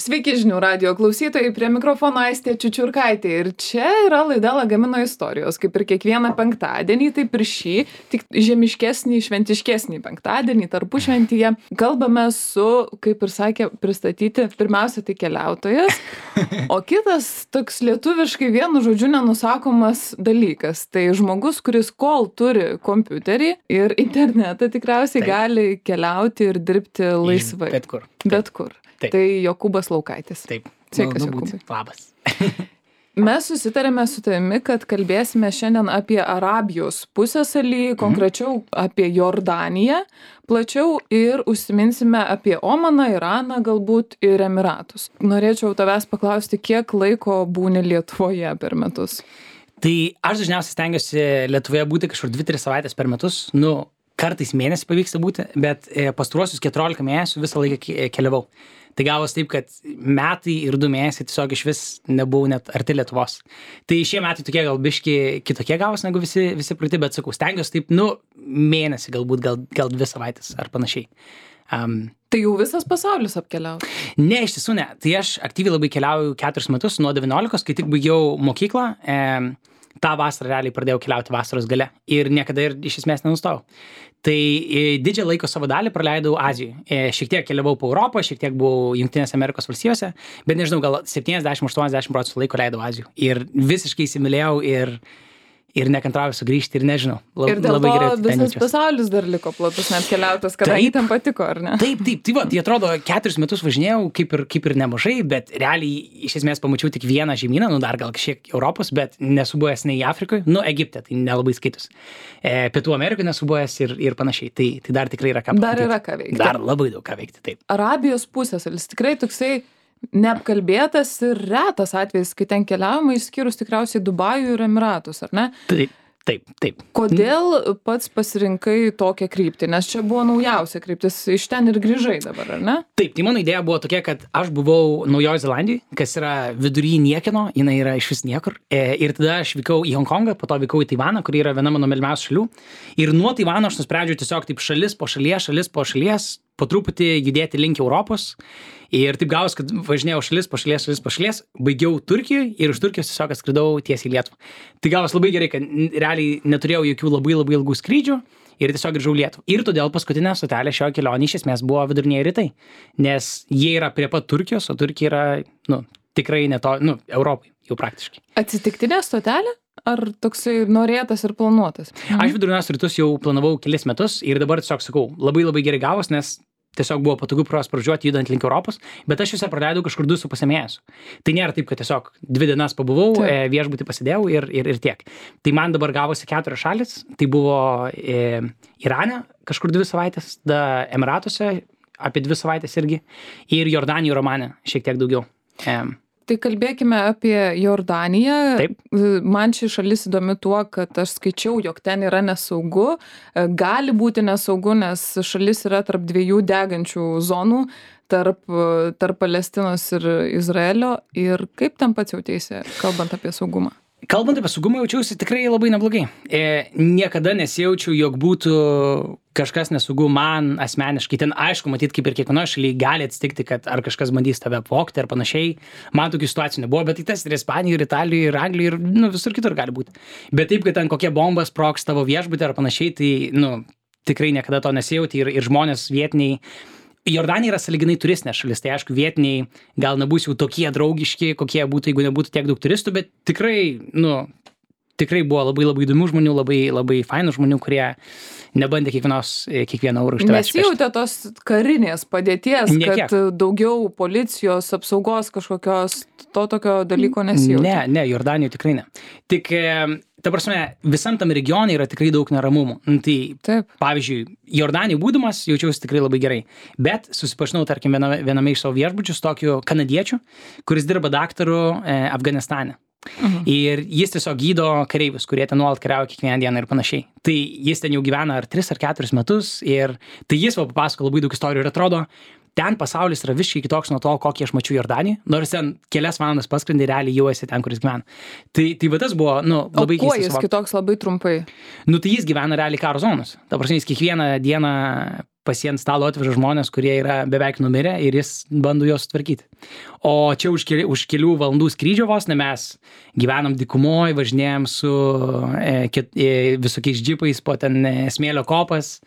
Sveiki žinių radijo klausytojai, prie mikrofono Aistė Čiučiurkaitė ir čia yra laida Lagamino istorijos, kaip ir kiekvieną penktadienį, taip ir šį, tik žemiškesnį, šventiškesnį penktadienį, tarpušventyje. Kalbame su, kaip ir sakė, pristatyti pirmiausia tai keliautojas, o kitas toks lietuviškai vienu žodžiu nenusakomas dalykas. Tai žmogus, kuris kol turi kompiuterį ir internetą tikriausiai gali keliauti ir dirbti laisvai. Bet kur. Bet kur. Taip. Tai Jokūbas Laukaitis. Taip. Sveikas, Malonu Jokūbai. būti. Labas. Mes susitarėme su tavimi, kad kalbėsime šiandien apie Arabijos pusiasalį, konkrečiau apie Jordaniją, plačiau ir užsiminsime apie Omaną, Iraną galbūt ir Emiratus. Norėčiau tavęs paklausti, kiek laiko būni Lietuvoje per metus? Tai aš dažniausiai stengiuosi Lietuvoje būti kažkur 2-3 savaitės per metus. Kartais mėnesį pavyksta būti, bet pastaruosius 14 mėnesių visą laiką keliavau. Tai gavos taip, kad metai ir 2 mėnesiai tiesiog iš vis nebuvau net arti Lietuvos. Tai šie metai tokie gal biški kitokie gavos negu visi praeiti, bet sakau, stengiuosi taip, mėnesį galbūt, gal 2 savaitės ar panašiai. Tai jau visas pasaulis apkeliauja? Ne, iš tiesų ne. Tai aš aktyviai labai keliauju 4 metus, nuo 19, kai tik baigiau mokyklą. tą vasarą realiai pradėjau keliauti vasaros gale ir niekada ir iš esmės nenustojau. Tai didžią laiko savo dalį praleidau Azijoje. Šiek tiek keliavau po Europą, šiek tiek buvau Jungtinėse Amerikos valstijose, bet nežinau, gal 70-80% laiko leidau Azijoje. Ir visiškai įsimylėjau ir nekantrauju sugrįžti ir nežinau. Ir dėl to visas pasaulis dar liko platus neapkeliautas, kadangi tam patiko, ar ne? Taip. Tai atrodo, 4 metus važinėjau, kaip ir nemažai, bet realiai iš esmės pamačiau tik vieną žemyną, dar gal šiek Europos, bet nesu buvęs nei Afrikoje, Egipte, tai nelabai skaitus. Pietų Amerikoje nesu buvęs ir panašiai. Tai dar tikrai yra ką pamatyti. Dar yra ką veikti. Dar labai daug ką veikti, taip. Arabijos pusiasalis tikrai toksai neapkalbėtas ir retas atvejis, kai ten keliaujama, išskyrus tikriausiai Dubajų ir Emiratus, ar ne? Taip. Kodėl pats pasirinkai tokią kryptį? Nes čia buvo naujausia kryptis, iš ten ir grįžai dabar, ar ne? Taip, tai mano idėja buvo tokia, kad aš buvau Naujojoje Zelandijoje, kas yra vidury niekieno, jinai yra iš vis niekur. Ir tada aš vykau į Honkongą, po to vykau į Taivaną, kuri yra viena mano mylimiausių šalių. Ir nuo Taivano aš nusprendžiau tiesiog taip šalis po šalies, po truputį judėti link Europos. Ir taip gavos, kad važinėjau šalis po šalies, baigiau Turkijoje ir iš Turkijos tiesiog atskridau tiesiai į Lietuvą. Tai gavos labai gerai, kad realiai neturėjau jokių labai ilgų skrydžių ir tiesiog grįžau į Lietuvą. Ir todėl paskutinė stotelė šio kelionė iš esmės buvo viduriniai rytai, nes jie yra prie pat Turkijos, o Turkija yra, tikrai Europai jau praktiškai. Atsitiktinė stotelė? Ar toksai norėtas ir planuotas? Aš vidurinius rytus jau planavau kelis metus ir dabar tiesiog sakau, labai gerai gavos, nes tiesiog buvo patogu pro jas pražiūrėti judant link Europos, bet aš juose praleidau kažkur 2,5 mėnesių. Tai nėra taip, kad tiesiog 2 dienas pabuvau, viešbutį pasidėjau ir tiek. Tai man dabar gavosi 4 šalis, tai buvo Irane kažkur 2 savaitės, Emiratuose apie 2 savaitės irgi ir Jordanijoje ir Omane šiek tiek daugiau. Tai kalbėkime apie Jordaniją. Taip. Man ši šalis įdomi tuo, kad aš skaičiau, jog ten yra nesaugu. Gali būti nesaugu, nes šalis yra tarp 2 degančių zonų, tarp Palestinos ir Izraelio. Ir kaip ten pats jautėsi, kalbant apie saugumą? Kalbant apie saugumą, jaučiausi tikrai labai neblogai. Niekada nesijaučiau, jog būtų kažkas nesaugu man asmeniškai. Ten aišku, matyt, kaip ir kiekvienoje šalyje gali atsitikti, kad ar kažkas bandys tave apvogti ar panašiai. Man tokių situacijų nebuvo, bet tai tas ir Ispanijoje, ir Italijoje, ir Anglijoje, ir visur kitur gali būti. Bet taip, kad ten kokie bombas sprogs tavo viešbutį ar panašiai, tai tikrai niekada to nesijauti ir žmonės vietiniai. Jordanija yra sąlyginai turistinė šalis, tai aišku, vietiniai gal nebus jau tokie draugiški, kokie būtų, jeigu nebūtų tiek daug turistų, bet tikrai buvo labai įdomių žmonių, labai fainų žmonių, kurie nebandė kiekvieną eurą iš tavęs. Nesijautė tos karinės padėties, kad daugiau policijos apsaugos kažkokios, to tokio dalyko nesijautė? Ne, Jordanijoje tikrai ne. Tik, ta prasme, visam tam regione yra tikrai daug neramumų. Tai, taip. Pavyzdžiui, Jordanijoje būdamas jaučiausi tikrai labai gerai, bet susipažinau, tarkim, viename iš savo viešbučių su tokiu kanadiečiu, kuris dirba daktaru Afganistane. Ir jis tiesiog gydo kareivius, kurie ten nuolat kariauja kiekvieną dieną ir panašiai. Tai jis ten jau gyvena ar 3 ar 4 metus ir tai jis papasako labai daug istorijų ir atrodo, ten pasaulis yra visiškai kitoks nuo to, kokį aš mačiau Jordanijoje, nors ten kelias valandas paskrendi, realiai jau esi ten, kuris gyvena. Tai va tas buvo, labai keistas. O kuo jis kitoks labai trumpai? Tai jis gyvena realiai karo zonos. Ta prasme, jis kiekvieną dieną pas jį ant stalo atveža žmonės, kurie yra beveik numirę ir jis bando juos sutvarkyti. O čia už kelių valandų skrydžio vos ne mes gyvenam dykumoj, važinėjom su visokiais džipais po ten smėlio kopas,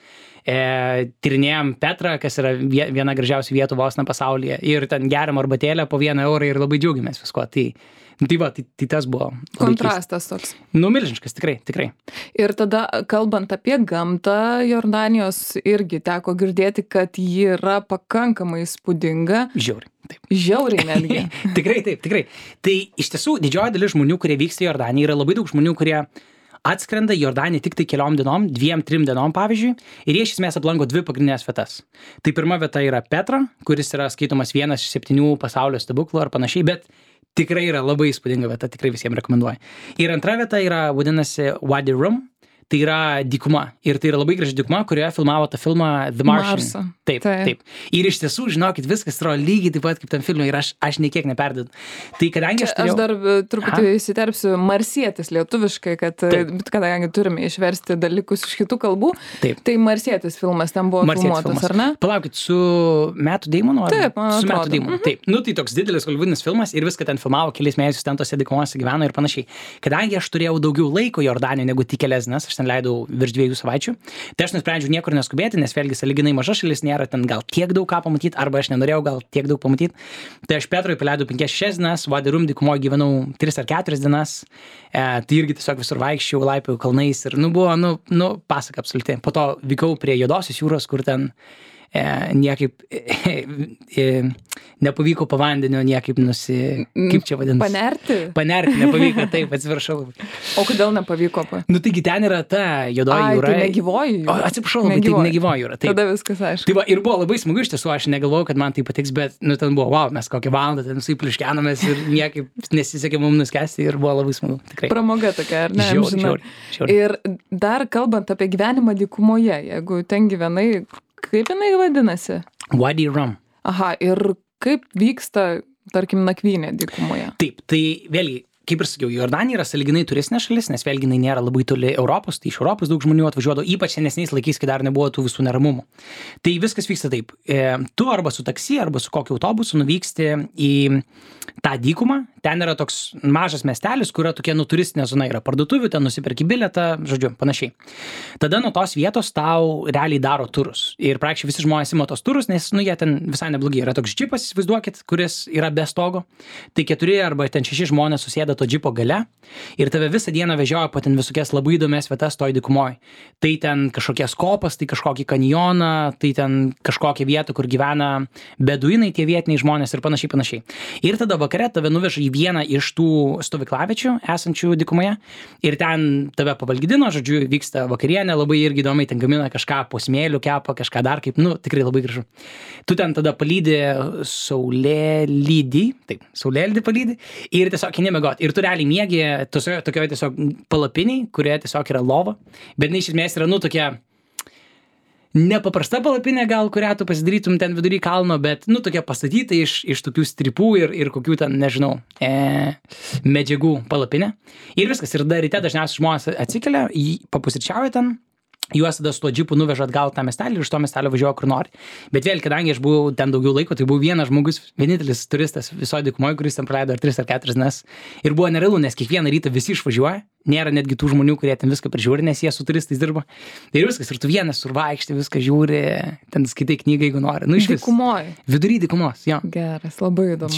tyrinėjom Petrą, kas yra viena gražiausių vietų vos ne pasaulyje, ir ten geriam arbatėlę po 1 eurą ir labai džiaugiamės visko. Tai tas buvo. Kontrastas toks. Milžiniškas, tikrai. Ir tada, kalbant apie gamtą, Jordanijos irgi teko girdėti, kad ji yra pakankamai įspūdinga. Žiauriai, taip. Žiauriai netgi. Tikrai. Tai iš tiesų didžioji dalis žmonių, kurie vyksta į Jordaniją, yra labai daug žmonių, kurie atskrenda į Jordaniją tik tai keliom dienom, 2-3 dienom pavyzdžiui, ir jie iš esmės aplanko 2 pagrindinės vietas. Tai pirma vieta yra Petra, kuris yra skaitomas vienas iš 7 pasaulio stebuklų ar panašiai, bet tikrai yra labai įspūdinga vieta, tikrai visiems rekomenduoju. Ir antra vieta yra, vadinasi, Wadi Rum, tai yra dykuma. Ir tai yra labai graži dykuma, kurioje filmavo tą filmą The Martian. Taip. Ir iš tiesų, žinokit, viskas yra lygiai taip pat kaip tam filmui ir aš niekiek neperdedu. Tai kadangi aš dar truputį įsiterpsiu marsietis lietuviškai, kadangi turime išversti dalykus iš kitų kalbų, tai marsietis filmas ten buvo filmuotas, ar ne? Palaukit, su Mattu Damonu? Taip, man atrodo. Su Mattu Damonu, taip. Tai toks didelis holivudinis filmas ir viską ten filmavo, kelis mėnesius ten tose dykumose gyveno ir panašiai. Kadangi aš turėjau daugiau laiko Jordanijoje negu tik kelias dienas, aš ten leidau virš 2 savaičių, tai aš nusprendžiau niekur neskubėti, nes vėlgi sąlyginai maža šalis, nėra ten gal tiek daug ką pamatyti, arba aš nenorėjau gal tiek daug pamatyti. Tai aš Petrui paleidau 5-6 dienas, Wadi Rum dykumoje gyvenau 3 ar 4 dienas, tai irgi tiesiog visur vaikščiau, laipiau kalnais ir buvo pasaka absoliuti. Po to vykau prie Juodosios jūros, kur ten niekaip nepavyko po vandeniu, niekaip kaip čia vadinasi? Panerti nepavyko, taip, atsiprašau. O kodėl nepavyko? Taigi ten yra ta Juodoji jūra. Tai negyvoji jūra. Atsiprašau, tai negyvoji jūra. Taip. Tada viskas aišku. Tai va, ir buvo labai smagu iš tiesų, aš negalvojau, kad man tai patiks, bet ten buvo, wow, mes kokią valandą ten suipliškenomės ir niekaip nesisekė mums nuskesti ir buvo labai smagu. Tikrai. Pramoga tokia, ar ne? Žiauriai. Ir dar kalbant apie gyvenimą dykumoje, jeigu ten gyvenai, kaip jinai vadinasi? Wadi Rum. Aha, ir kaip vyksta, tarkim, nakvynė dykumoje? Taip, tai vėlgi, kaip ir sakiau, Jordanija yra sąlyginai turistinė šalis, nes vėlgi jinai nėra labai toli Europos, tai iš Europos daug žmonių atvažiuodavo, ypač senesniais laikais, kai dar nebuvo tų visų neramumų. Tai viskas vyksta taip. Tu arba su taksi, arba su kokiu autobusu nuvyksti į tą dykumą. Ten yra toks mažas miestelis, kur yra tokia turistinė zona, yra parduotuvių, ten nusiperki bilietą, žodžiu, panašiai. Tada nuo tos vietos tau realiai daro turus. Ir praktiškai visi žmonės ima tos turus, nes jie ten visai neblogi. Yra toks džipas, įsivaizduokit, kuris yra be stogo. Tai 4 arba ten 6 žmonės susėda to džipo gale ir tave visą dieną vežioja po ten visokias labai įdomias vietas toj dykumoj. Tai ten kažkokias kopas, tai kažkokį kanjoną, tai ten kažkokią vietą, kur gyvena beduinai, tie vietiniai žmonės ir panašiai. Ir tada vakare tave nuveža į vieną iš tų stovyklavičių esančių dykumoje ir ten tave pavalgydino, žodžiu, vyksta vakarienė, labai irgi įdomiai, ten gamina kažką po smėliu, kepa kažką dar kaip, tikrai labai gražu. Tu ten tada palydi saulėlydį palydi ir tiesiog eini miegot. Ir tu realiai miegi tokioje tiesiog palapiniai, kurioje tiesiog yra lova, bet iš esmės yra, tokia nepaprasta palapinė gal, kurią tu pasidarytum ten vidury kalno, bet, tokia pastatyta iš tokių stripų ir kokių ten, nežinau, medžiagų palapinė. Ir viskas. Ir dar ryte dažniausiai žmonės atsikelia, papusryčiauja ten, juos tada su tuo džipu nuveža atgal tą miestelį ir iš to miestelio važiuoja kur nori. Bet vėl, kadangi aš buvau ten daugiau laiko, tai buvau vienas žmogus, vienintelis turistas visoje dykumoje, kuris ten praleido 3 ar 4 dienas. Ir buvo nerealu, nes kiekvieną rytą visi išvažiuoja. Nėra netgi tų žmonių, kurie ten viską prižiūri, nes jie su turistais dirba. Ir viskas, ir tu vienas survaikšti, viską žiūri, ten skaitai knygą, jeigu nori. Dykumoje. Vidury dykumos, jo. Geras, labai įdomu.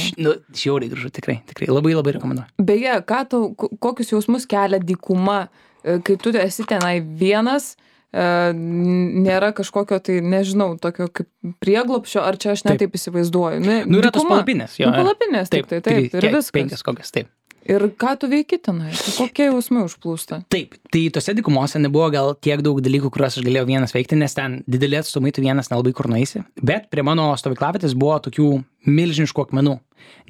Žiauriai gražu, tikrai, labai rekomenduoju. Beje, kokius jausmus kelia dykuma, kai tu esi tenai vienas, nėra kažkokio, tai nežinau, tokio kaip prieglobščio, ar čia aš netaip įsivaizduoju. Yra tos palapinės, jo. Palapinės, taip, ir viskas. 5 kokias, taip. Ir ką tu veiki tenai? Kokie jausmai užplūsta? Taip, tai tose dykumose nebuvo gal tiek daug dalykų, kuriuos aš galėjau vienas veikti, nes ten didelį atstumai tu vienas nelabai kur nueisi. Bet prie mano stovyklavietės buvo tokių milžiniškų akmenų.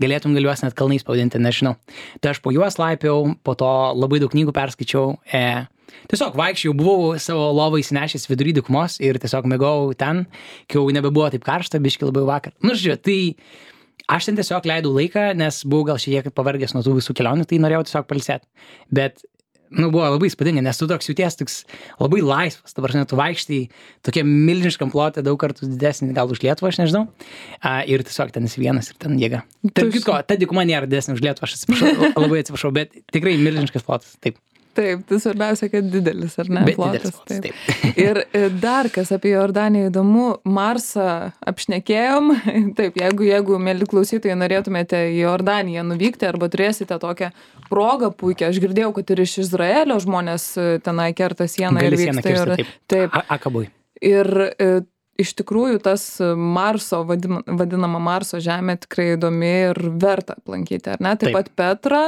Galėtum juos net kalnais pavadinti, nežinau. Tai aš po juos laipiau, po to labai daug knygų perskaičiau. Tiesiog vaikščiau, buvau savo lovą įsinešęs vidury dykumos ir tiesiog mėgau ten, kai jau nebebuvo taip karšta, biški labai vakar. Žiūrėjau, tai aš ten tiesiog leidau laiką, nes buvau gal šiek tiek pavargęs nuo tų visų kelionių, tai norėjau tiesiog pailsėti. Bet buvo labai įspūdinga, nes tu toks jauties toks labai laisvas, dabar tu vaikštai tokia milžiniškam plote, daug kartų didesnį gal už Lietuvą, aš nežinau, ir tiesiog ten esi vienas ir ten jėga. Tarp kitko, ta dykuma nėra didesnė už Lietuvą, aš atsiprašau, labai atsiprašau, bet tikrai milžiniškas plotas, taip. Taip, tai svarbiausia, kad didelis, ar ne? Bet plotas, didelis plotas, taip. Ir dar kas apie Jordaniją įdomu, Marsą apšnekėjom. Taip, jeigu mėly klausytojai, norėtumėte į Jordaniją nuvykti arba turėsite tokią progą puikią, aš girdėjau, kad ir iš Izraelio žmonės tenai kerta sieną ir vyksta. Taip. Akabui. Ir iš tikrųjų tas Marso, vadinama Marso žemė tikrai įdomi ir verta aplankyti, ar ne? Taip pat Petra.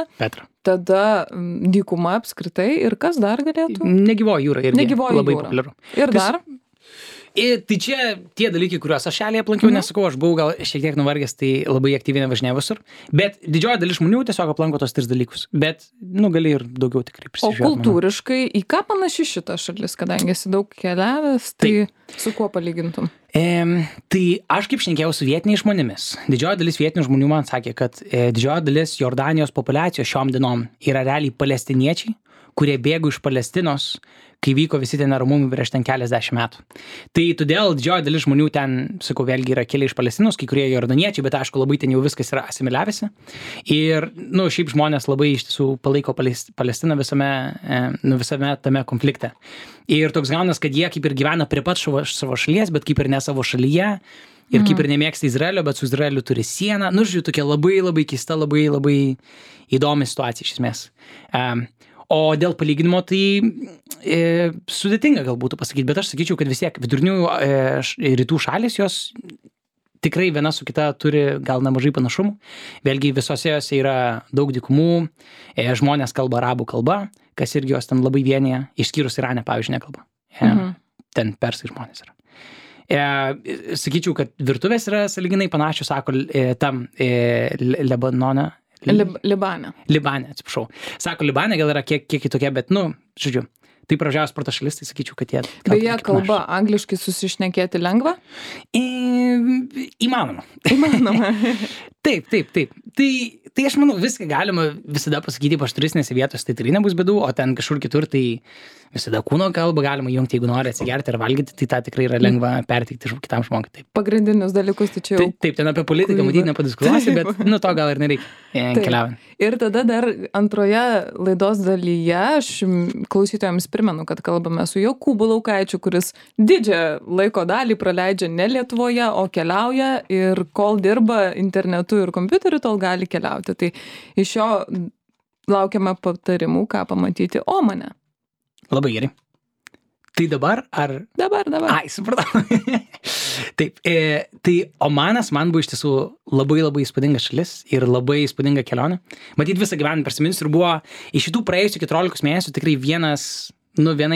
Tada dykuma apskritai ir kas dar galėtų? Negyvoji jūra irgi labai populiaru. Ir dar? Tai čia tie dalykai, kuriuos aš šalyje aplankiau, nesakau, aš buvau gal šiek tiek nuvargęs, tai labai aktyviai nevažinėjau visur, bet didžioji dalis žmonių tiesiog aplanko tos 3 dalykus, bet, gali ir daugiau tikrai prisižiūrėti. O kultūriškai, į ką panaši šita šalis, kadangi esi daug keliavęs, tai su kuo palygintum? Tai aš kaip šnekėjau su vietiniais žmonėmis. Didžioji dalis vietinių žmonių man sakė, kad didžioji dalis Jordanijos populiacijos šiom dienom yra realiai palestiniečiai, kurie bėgo iš Palestinos, kai vyko visi tie neramumai prieš ten keliasdešimt metų. Tai todėl didžioji dalis žmonių ten, sakau, vėlgi yra kilę iš Palestinos, kai kurie jordaniečiai, bet aišku, labai ten jau viskas yra asimiliavęsi. Ir, šiaip žmonės labai iš tiesų palaiko Palestiną visame tame konflikte. Ir toks gaunas, kad jie kaip ir gyvena prie pat savo šalies, bet kaip ir ne savo šalyje. Ir kaip ir nemėgsta Izraelio, bet su Izraeliu turi sieną. Žiūrėjau, tokia labai, labai keista, labai, labai įdomi situacija iš esmės. O dėl palyginimo, tai sudėtinga gal būtų pasakyti, bet aš sakyčiau, kad vis tiek vidurinių rytų šalis, jos tikrai viena su kita turi gal nemažai panašumų. Vėlgi visose jose yra daug dykumų, žmonės kalba arabų kalba, kas irgi jos ten labai vienyje, išskyrus Irane, pavyzdžiui, nekalba. Ten persai žmonės yra. Sakyčiau, kad virtuvės yra sąlyginai panašios, sako, tam Lebanone. Libane, atsiprašau. Sako, Libane gal yra kiek kitokia, bet, žodžiu, tai pražiaus sporto šalis, tai sakyčiau, kad jie... Beje, kalba angliškai susišnekėti lengva? Įmanoma. Taip. Tai aš manau, viską galima visada pasakyti, ypač turistinėse vietose, tai tikrai nebus bėdų, o ten kažkur kitur, tai visada kūno kalbą galima jungti, jeigu nori atsigerti ar valgyti, tai tą tikrai yra lengva perteikti kitam žmogui. Taip. Pagrindinius dalykus, tai čia jau... Taip, ten apie politiką matyti nepadiskutuosi, bet to gal ir nereikia keliaujant. Ir tada dar antroje laidos dalyje aš klausytojams primenu, kad kalbame su Jokūbu Laukaičiu, kuris didžią laiko dalį praleidžia ne Lietuvoje, o keliauja ir kol dirba internetu ir kompiuteriu, tol gali keliauti. Tai iš jo laukiame patarimų, ką pamatyti Omane. Labai gerai. Tai dabar ar... Dabar. Ai, supratau. Taip, tai Omanas man buvo iš tiesų labai labai įspūdinga šalis ir labai įspūdinga kelionė. Matyt, visą gyvenimą prisiminsiu ir buvo iš šitų praėjusių 14 mėnesių tikrai viena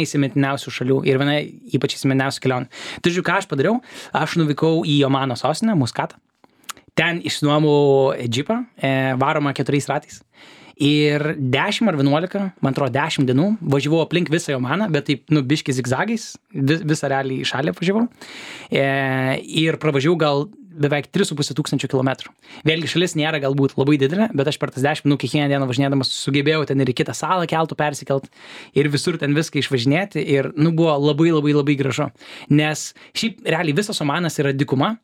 įsimintiniausių šalių ir viena ypač įsimintiniausių kelionių. Tai žiūrėjau, ką aš padariau. Aš nuvykau į Omano sostinę, Muskatą. Ten išsinuomau džipą, varomą 4 ratais. Ir 10 ar 11, man atrodo 10 dienų, važiavau aplink visą Omaną, bet taip, biški zigzagais, visą realiai šalį važiavau. Ir pravažiavau gal beveik 3,5 tūkstančių kilometrų. Vėlgi šalis nėra galbūt labai didelė, bet aš per tas 10 minų kiekvieną dieną važinėdamas sugebėjau ten ir į kitą salą keltų persikelt ir visur ten viską išvažinėti ir buvo labai labai labai gražu. Nes šiaip realiai visas Omanas yra dykuma,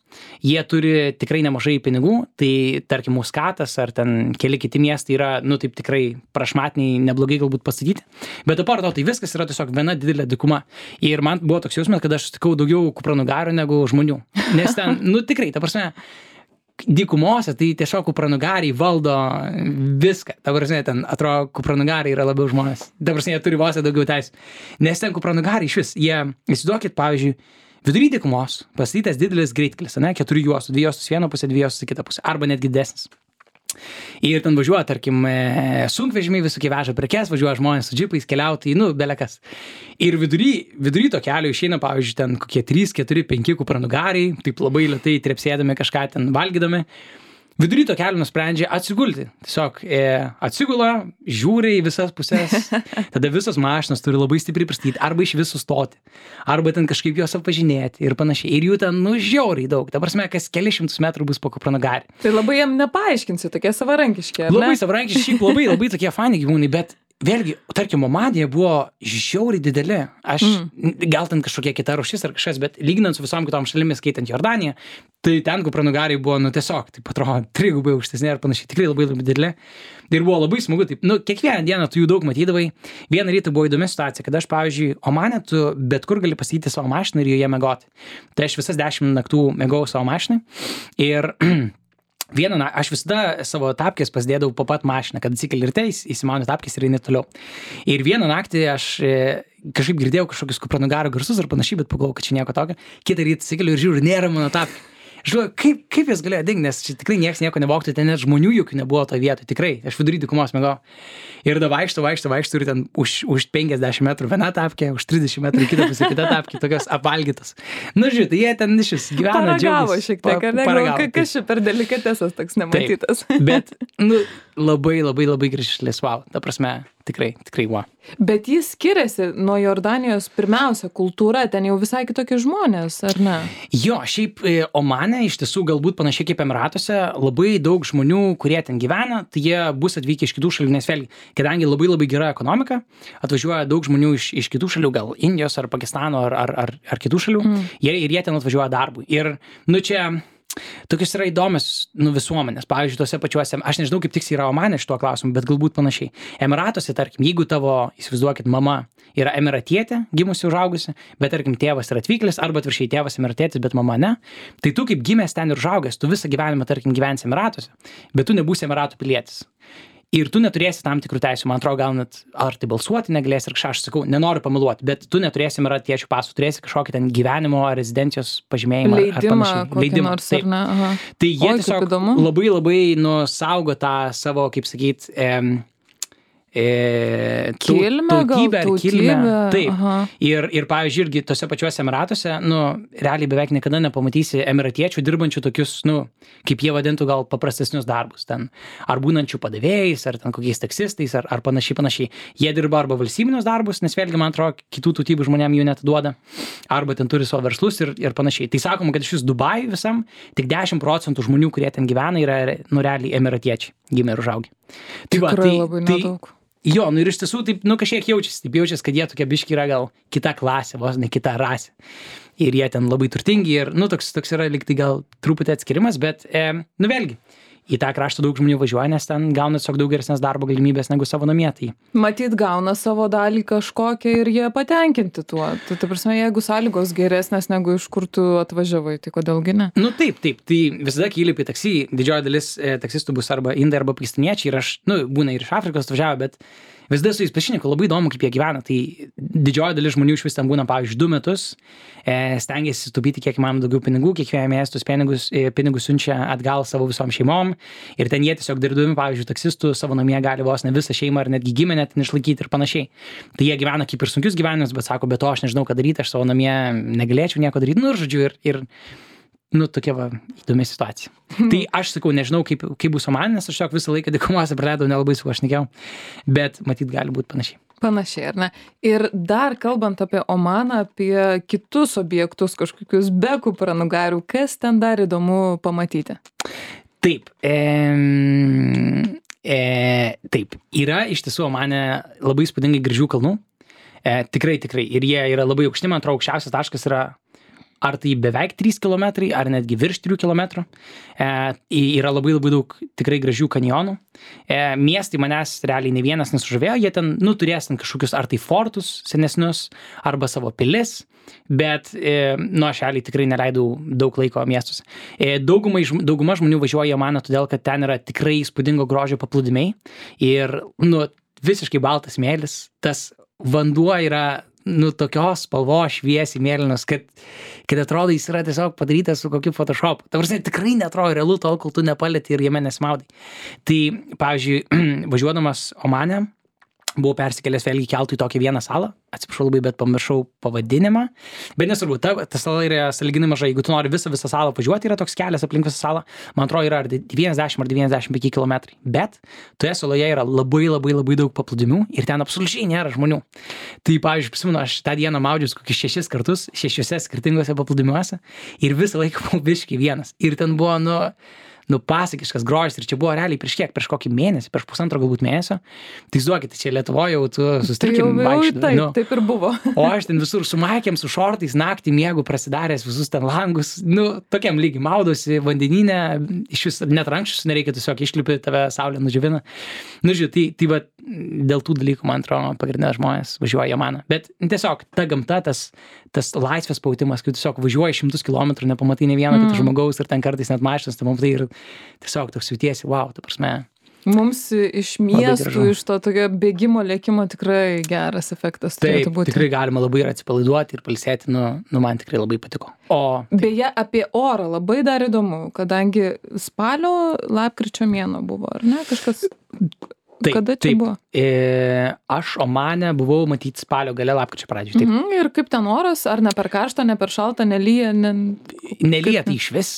jie turi tikrai nemažai pinigų, tai tarkim Muskatas ar ten keli kiti miestai yra, taip tikrai prašmatniai, neblogai galbūt pastatyti, bet apart to tai viskas yra tiesiog viena didelė dykuma. Ir man buvo toks jausmas, kad aš sutikau daugiau kupranugarių negu žmonių. Nes ten, tikrai, ta prasme, dykumose, tai tiesiog kupranugariai valdo viską. Ta prasme, ten atrodo, kupranugariai yra labiau žmonės. Ta prasme, jie turi vos daugiau teisų. Nes ten kupranugariai išvis, jie, įsivaizduokit, pavyzdžiui, vidury dykumos pastatytas didelis greitkelis, 4 juostų, 2 juostus vieną pusę, 2 juostus į kitą pusę, arba netgi didesnis. Ir ten važiuoja, tarkim, sunkvežimiai visokie veža prekes, važiuoja žmonės su džipais, keliautojai, belekas. Ir vidury to kelio išeina, pavyzdžiui, ten kokie 3, 4, 5 kupranugariai, taip labai lėtai trepsėdami kažką ten valgydami. Vidury to kelio nusprendžia atsigulti. Tiesiog atsigula, žiūri į visas pusės, tada visos mašinos turi labai stipriai pristatyti, arba iš visų stoti, arba ten kažkaip juos apvažinėti ir panašiai. Ir jų ten žiauriai daug. Ta prasme, kas kelišimtus metrų bus po kupranugarį. Tai labai jam nepaaiškinsi, tokie savarankiški, ar ne? Labai savarankiški, labai tokie fani gyvūnai, bet vėlgi, tarkim, Omanija buvo žiauriai dideli. Aš, gal ten kažkokia kita rūšis ar kažkas, bet lyginant su visom kitom šalimis, skaitant Jordaniją, tai ten kupranugariai buvo, tiesiog, taip atrodo, 3 gubai aukštesni ir panašiai, tikrai labai labai dideli. Ir buvo labai smagu, taip, kiekvieną dieną tu jų daug matydavai. Vieną rytą buvo įdomi situacija, kad aš, pavyzdžiui, Omane, tu bet kur gali pasakyti savo mašiną ir joje mėgoti. Tai aš visas 10 naktų mėgau savo mašinai ir aš visada savo tapkės pasidėdavau po pat mašiną, kad atsikeli ryte, įsimauni tapkės ir eini toliau. Ir vieną naktį aš kažkaip girdėjau kažkokius kupranugaro garsus ar panašiai, bet pagalvojau, kad čia nieko tokio. Kitą rytą atsikeliu ir žiūriu, nėra mano tapkė. Aš galvoju, kaip jis galėjo dingti, nes čia tikrai niekas nieko nevogtų, ten net žmonių jokių nebuvo toje vietoje, tikrai, aš vidury dykumos mėgau. Ir da vaikšto ir ten už 50 metrų viena tapkė, už 30 metrų kita tapkė, tokios apvalgytos. Žiūrėt, jie ten išvis gyvena, džiaugiasi. Šiek tiek, ar ne? Kas čia per delikatesas toks nematytas. Taip, bet, labai gražis, wow, ta prasme, tikrai, wow. Bet jis skiriasi nuo Jordanijos, pirmiausia, kultūra, ten jau visai kitokie žmonės, ar ne? Jo, šiaip Omane iš tiesų galbūt panašiai kaip Emiratuose, labai daug žmonių, kurie ten gyvena, tai jie bus atvykę iš kitų šalių, nes vėlgi, kadangi labai gera ekonomika, atvažiuoja daug žmonių iš kitų šalių, gal Indijos ar Pakistano ar kitų šalių, ir jie ten atvažiuoja darbui. Ir, čia tokios yra įdomios visuomenės. Pavyzdžiui, tose pačiuose, aš nežinau, kaip tiksliai yra Omane šituo klausimu, bet galbūt panašiai. Emiratuose, tarkim, jeigu tavo, įsivaizduokit, mama yra emiratietė, gimusi, užaugusi, bet tarkim, tėvas yra atvykėlis, arba atvirkščiai tėvas emiratietis, bet mama ne, tai tu kaip gimęs ten ir užaugęs, tu visą gyvenimą, tarkim, gyvensi Emiratuose, bet tu nebūsi Emiratų pilietis. Ir tu neturėsi tam tikrų teisių, man atrodo, gal net ar tai balsuoti negalėsi, ir kažką aš sakau, nenoriu pameluoti, bet tu neturėsi emiratiečio pasų, turėsi kažkokį ten gyvenimo ar rezidencijos pažymėjimą ar panašiai. Leidimą, taip. Tai jie tiesiog labai saugo tą savo, kaip sakyt, tautybę ar kilmę. Taip. Ir pavyzdžiui, irgi tose pačiuose Emiratuose, realiai beveik niekada nepamatysi emiratiečių dirbančių tokius, kaip jie vadintų gal paprastesnius darbus ten. Ar būnančių padavėjais, ar ten kokiais taksistais, ar panašiai. Jie dirba arba valstybinius darbus, nes vėlgi, man atrodo, kitų tautybių žmonėm jų neatiduoda, arba ten turi savo verslus ir panašiai. Tai sakoma, kad iš vis Dubajui visam tik 10% žmonių, kurie ten gyvena, yra realiai emiratiečiai, gimę ir užaugę. Tikrai labai nedaug. Jo, ir iš tiesų taip, kažkiek jaučiasi, kad jie tokia biški yra gal kita klasė, vos ne kita rasė. Ir jie ten labai turtingi ir, toks yra lyg tai gal truputį atskirimas, bet, vėlgi, į tą kraštą daug žmonių važiuoja, nes ten gauna tiesiog daug geresnės darbo galimybės negu savo namie. Tai matyt, gauna savo dalį kažkokią ir jie patenkinti tuo. Tai prasme, jeigu sąlygos geresnės negu iš kur tu atvažiavai, tai kodėlgi ne? Taip. Tai visada kai įlipi į taksi, didžioji dalis taksistų bus arba indai, arba pakistaniečiai ir aš, būna ir iš Afrikos atvažiavo, bet visada su jais pašneku, labai įdomu, kaip jie gyvena. Tai didžioji dalis žmonių iš vis ten būna, pavyzdžiui, 2 metus, stengiasi taupyti kiek įmanoma daugiau pinigų, kiekvieną mėnesį pinigus siunčia atgal savo visom šeimom ir ten jie tiesiog dirbdami, pavyzdžiui, taksistų savo namie gali vos ne visą šeimą ar netgi giminę ten išlaikyti ir panašiai. Tai jie gyvena kaip ir sunkius gyvenimus, bet sako, be to aš nežinau, ką daryti, aš savo namie negalėčiau nieko daryti, ir žodžiu, ir tokia įdomi situacija. Tai aš sakau, nežinau, kaip bus Omane, nes aš tiesiog visą laiką dykumose praleidau, nelabai su aš šnekėjau, bet matyt gali būti panašiai. Panašiai, ar ne? Ir dar kalbant apie Omaną, apie kitus objektus, kažkokius be kupranugarių, kas ten dar įdomu pamatyti? Taip. Taip. Yra iš tiesų Omane labai įspūdingai gražių kalnų. Tikrai. Ir jie yra labai aukšti, man atrodo, aukščiausias taškas yra ar tai beveik 3 km, ar netgi virš 3 km. Yra labai daug tikrai gražių kanjonų. Miestai manęs realiai ne vienas nesužavėjo, jie ten, turės ten kažkokius ar tai fortus senesnius, arba savo pilis, bet, aš realiai tikrai neleidau daug laiko miestuose. Dauguma žmonių važiuoja į Omaną, todėl kad ten yra tikrai įspūdingo grožio paplūdimiai ir, visiškai baltas smėlis, tas vanduo yra tokios spalvos šviesiai mėlynos, kad atrodo jis yra tiesiog padarytas su kokiu Photoshopu. Ta prasme, tikrai neatrodo realu tol, kol tu nepalieti ir jame nesimaudai. Tai, pavyzdžiui, važiuodamas Omane, buvau persikėlęs vėlgi keltų į tokią vieną salą, atsiprašau labai, bet pamiršau pavadinimą, bet nesvarbu, ta sala yra sąlyginai maža, jeigu tu nori visą salą važiuoti, yra toks kelias aplink visą salą, man atrodo yra ar 90 ar 95 km, bet toje saloje yra labai daug paplūdimių ir ten absoliučiai nėra žmonių. Tai, pavyzdžiui, prisimenu, aš tą dieną maudžius kokius 6 kartus, 6 skirtingose paplūdimiuose ir visą laiką buvau biškį vienas. Ir ten buvo, pasakiškas grožis ir čia buvo realiai prieš kokį mėnesį, prieš pusantro galbūt mėnesio. Tai duokit, čia Lietuvoje jau tu sustrikim vaikščioti. Taip ir buvo. O aš ten visur su maikėm, su šortais, naktį miegu prasidaręs visus ten langus, tokiam lygiai maudosi vandeninė, iš vis net rankščius nereikia, tiesiog išlipi, tave saulė nudžiovina. Žiūrėjau, tai va, dėl tų dalykų, man atrodo, pagrindinė žmonės važiuoja Jamaną. Bet tiesiog ta gamta, tas laisvės pautimas, kai tiesiog važiuoji 100 kilometrų, nepamatai ne vieno kito žmogaus ir ten kartais net mašinas, tai pamatai ir tiesiog toks jautiesi, wow, ta prasme. Mums iš miestų, iš to tokio bėgimo, lėkimo tikrai geras efektas turėtų būti. Tikrai galima labai ir atsipalaiduoti ir pailsėti, man tikrai labai patiko. Beje, apie orą labai dar įdomu, kadangi spalio, lapkričio mėnuo buvo, ar ne? Kažkas... Kada čia buvo? Aš Omane buvau matyti spalio gale, lapkričio pradžioje. Ir kaip ten oras? Ar ne per karštą, ne per šaltą, nelyja? Nelyja tai iš vis,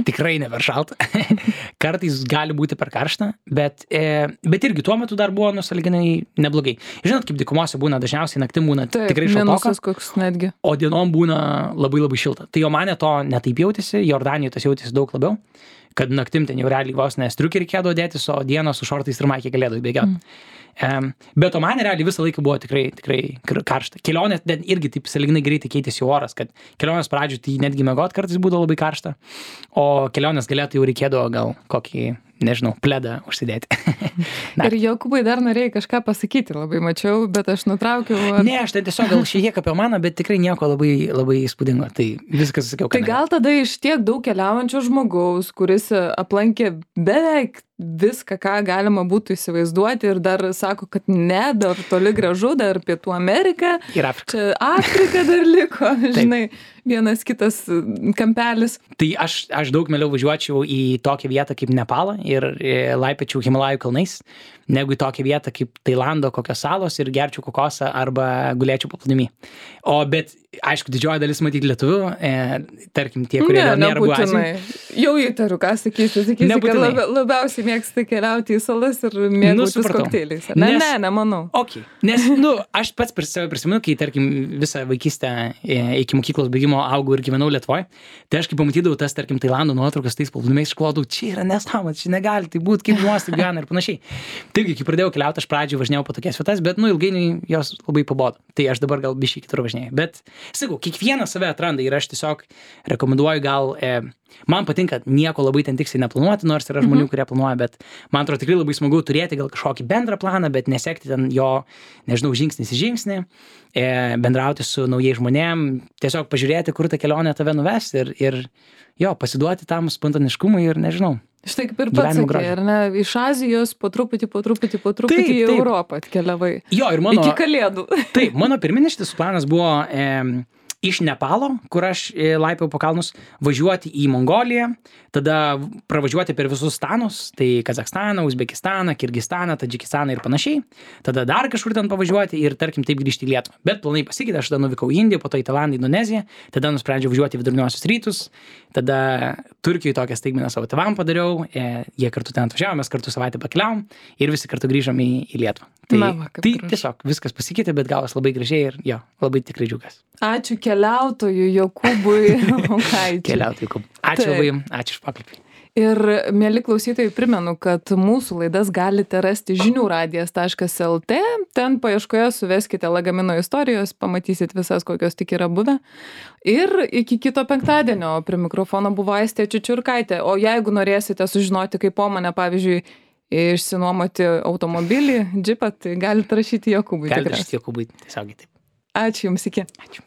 tikrai ne per šaltą. Kartais gali būti per karštą, bet irgi tuo metu dar buvo sąlyginai neblogai. Žinot, kaip dykumose būna, dažniausiai naktim būna tikrai šaltoka. Minusas koks netgi. O dienom būna labai labai šilta. Tai Omane to netaip jautėsi, Jordanijoje tas jautėsi daug labiau. Kad naktim ten jau realiai vos striukį reikėdavo dėtis, o dieną su šortais ir maikė galėdavo bėgioti. Bet Omane realiai visą laiką buvo tikrai karšta. Kelionė irgi taip sąlyginai greitai keitėsi oras, kad kelionės pradžių tai netgi miegot kartais būdavo labai karšta, o kelionės galėtų jau reikėdavo gal kokį, nežinau, pledą užsidėti. Ir Jokūbai dar norėjai kažką pasakyti, labai mačiau, bet aš nutraukiau. Ne, aš tai tiesiog gal šiek tiek apie Omaną, bet tikrai nieko labai, labai įspūdingo. Tai viskas sakiau, kad... Tai gal tada iš tiek daug keliaujančio žmogaus, kuris aplankė beveik viską, ką galima būtų įsivaizduoti ir dar sako, kad ne, dar toli gražu, dar Pietų Amerika. Ir Afrika. Čia Afrika dar liko, žinai, vienas kitas kampelis. Tai aš daug mieliau važiuočiau į tokią vietą kaip Nepalą ir laipėčiau Himalajų kalnais, negu į tokią vietą kaip Tailando kokios salos ir gerčiau kokosą arba gulėčiau paplūdimy. Bet, aišku, didžioji dalis matyti lietuvių, tarkim, tie, kurie nėra buvę Azijoje. Jau įtariu, ką sakysi, kad labiausiai mėgsti keliauti į salas ir mėgautis kokteiliais. Ne, manau. Okay. Nes, aš pats save prisimenu, kai, tarkim, visą vaikystę iki mokyklos baigimo augau ir gyvenau Lietuvoje, tai aš kai pamatydavau tas, tarkim, Tailando nuotraukas tais paplūdimiais, išklodau, čia yra nesąmonė, čia negali tai būti, kaip žmonės taip gyvena ir panašiai. Taigi, kai pradėjau keliauti, aš pradžioje važinėjau po tokias vietas, bet, ilgainiui jos labai pabodo. Tai aš dabar gal biškai kitur važinėjau. Bet, sakau, kiekvienas save atranda ir aš tiesiog rekomenduoju gal, man patinka nieko labai ten tiksliai neplanuoti, nors yra žmonių, kurie planuoja, bet man atrodo tikrai labai smagu turėti gal kažkokį bendrą planą, bet nesekti ten jo, nežinau, žingsnis į žingsnį, bendrauti su naujais žmonėm, tiesiog pažiūrėti, kur ta kelionė tave nuves ir jo, pasiduoti tam spontaniškumui ir nežinau. Štai kaip ir pats sakė, ar ne, iš Azijos po truputį į Europą atkeliavai. Jo, ir iki kalėdų. Taip, mano pirminis šitas planas buvo iš Nepalo, kur aš laipiau po kalnus, važiuoti į Mongoliją, tada pravažiuoti per visus stanus, tai Kazakstaną, Uzbekistaną, Kirgistaną, Tadžikistaną ir panašiai, tada dar kažkur ten pavažiuoti ir, tarkim, taip grįžti į Lietuvą. Bet planai pasikeitė, aš tada nuvykau į Indiją, po to į Tailandą, Indoneziją, tada nusprendžiau važiuoti į viduriniuosius rytus, tada Turkijoje tokią staigmeną savo tėvam padariau, jie kartu ten atvažiavo, mes kartu savaitę pakeliavom ir visi kartu grįžom į Lietuvą. Tai tiesiog viskas pasikeitė, bet gavos labai gražiai ir jo, labai tikrai džiaugiuosi. Ačiū keliautojui Jokūbui Onkaičiui. Keliautojui Jokūbui. Ačiū labai, ačiū už pokalbį. Ir, mieli klausytojai, primenu, kad mūsų laidas galite rasti žiniųradijas.lt. Ten paieškoje suveskite Lagamino istorijos, pamatysit visas, kokios tik yra buvę. Ir iki kito penktadienio prie mikrofono buvo Aistė Čiučiurkaitė. O jeigu norėsite sužinoti, kaip po mane, pavyzdžiui, išsinuomoti automobilį, džipą, tai galite rašyti Jokūbui. Galite rašyti Jokūbui, tiesiogiai taip. Ačiū Jums, iki. Ačiū.